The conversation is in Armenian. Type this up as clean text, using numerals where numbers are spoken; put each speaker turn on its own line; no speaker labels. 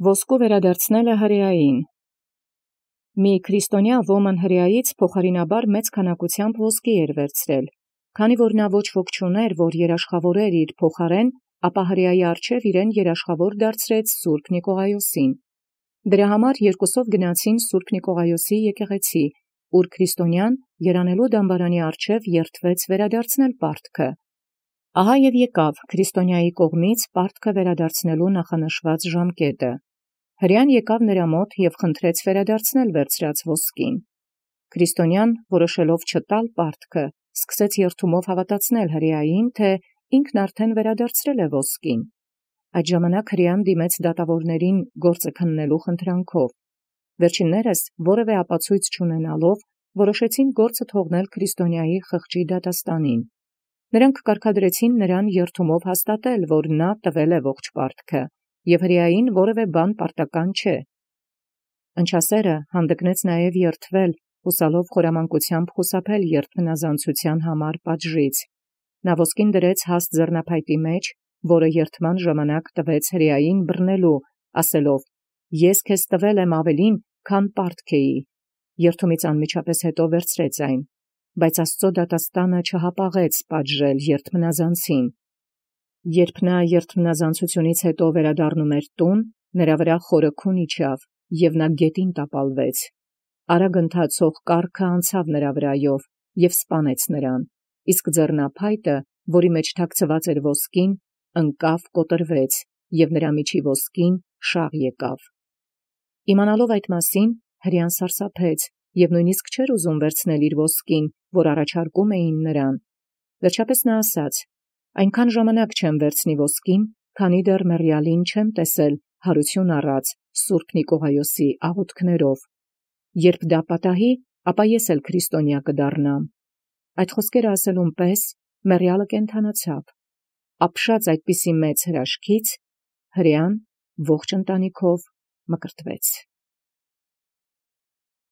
Ոսկու վերադարձնելը հրեային։ Մի քրիստոնյա ոմն հրեայից փոխարինաբար մեծ քանակությամբ ոսկի էր վերցրել, քանի որ նա ոչ ոք չուներ, որ երաշխավորեր իր փոխարեն, ապա հրեայի առջև իրեն երաշխավոր դարձրեց Սուրբ Նիկողայոսին։ Դրա համար երկուսով գնացին Սուրբ Նիկողայոսի եկեղեցի, ուր քրիստոնյան երանելու դամբարանի առջև երթվեց վերադարձնել պարտքը։ Ահա և եկավ քրիստոնյայի կողմից պարտքը վերադարձնելու նախանշված ժամկետը։ Հրեան եկավ նրա մոտ և խնդրեց վերադարձնել վերցրած ոսկին։ Քրիստոնյան, որոշելով չտալ պարտքը, սկսեց երթումով հավատացնել հրեային, թե ինքն արդեն վերադարձրել է ոսկին։ Այդ ժամանակ հրեան դիմեց դատավորներին գործը քննելու խնդրանքով։ Վերջիններս, որևէ ապացույց չունենալով, որոշեցին գործը թողնել քրիստոնյայի խղճի դատաստանին։ Նրանք կարգադրեցին նրան երթումով հաստատել, որ նա տվել է ողջ պարտքը, և հրեային որևէ բան պարտական չէ։ Ընչասերը հանդգնեց նաև երթվել, հուսալով խորամանկությամբ խուսափել երթմնազանցության համար պատժից։ Նա ոսկին դրեց հաստ ձեռնափայտի մեջ, որը երթման ժամանակ տվեց հրեային բռնելու, ասելով. «Ես քեզ տվել եմ ավելին, քան պարտք էի»։ Երթումից անմիջապես հետո վերցրեց այն, բայց Աստծո դատաստանը չհապաղեց պատժել երթմնազանցին։ Երբ նա երթմնազանցությունից հետո վերադառնում էր տուն, նրա վրա խորը քուն իջավ, և նա գետին տապալվեց։ Արագ ընթացող կառքը անցավ նրա վրայով և սպանեց նրան, իսկ ձեռնափայտը, որի մեջ թաքցված էր ոսկին, ընկավ, կոտրվեց, և նրա միջի ոսկին շաղ եկավ։ Իմանալով այդ մասին, հրեան սարսափեց և նույնիսկ չէր ուզում վերցնել իր ոսկին, որ առաջարկում էին նրան։ Վերջապես նա ասաց. «Այնքան ժամանակ չեմ վերցնի ոսկին, քանի դեռ մեռյալին չեմ տեսել հարություն առած Սուրբ Նիկողայոսի աղոթքներով։ Երբ դա պատահի, ապա ես էլ քրիստոնյա կդառնամ»։ Այդ խոսքերը ասելուն պես մեռյալը կենդանացավ։ Ապշած այդպիսի մեծ հրաշքից, հրեան ողջ ընտանիքով մկրտվեց։